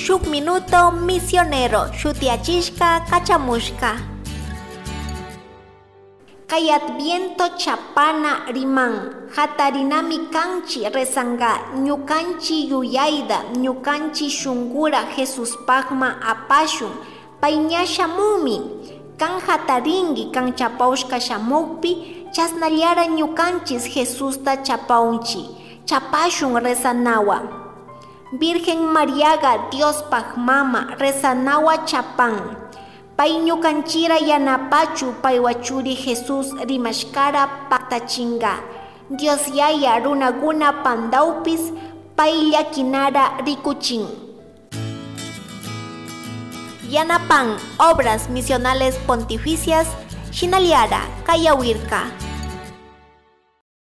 Shuk Minuto Misionero shutiyachishka kachamushka. Kay Adviento chapana riman, hatarinami kanchi rezanga ñukanchi yuyayda, ñukanchi shungura Jesuspagma apashun, pay ña shamunmi, kan hatarinki kan chapawshka shamukpi, chasnallara ñukanchis Jesusta chapawnchi, chapashun rezanawa. Virgen Mariaga Diospaj mama rezanawa chapan. Pay ñukanchira yanapachu paywa churi Jesús rimashkara paktachinga. Dios Yaya runaguna pandawpis pay llakinara rikuchin. Yanapan Obras Misionales Pontificias, Shinallara, Kayawirka.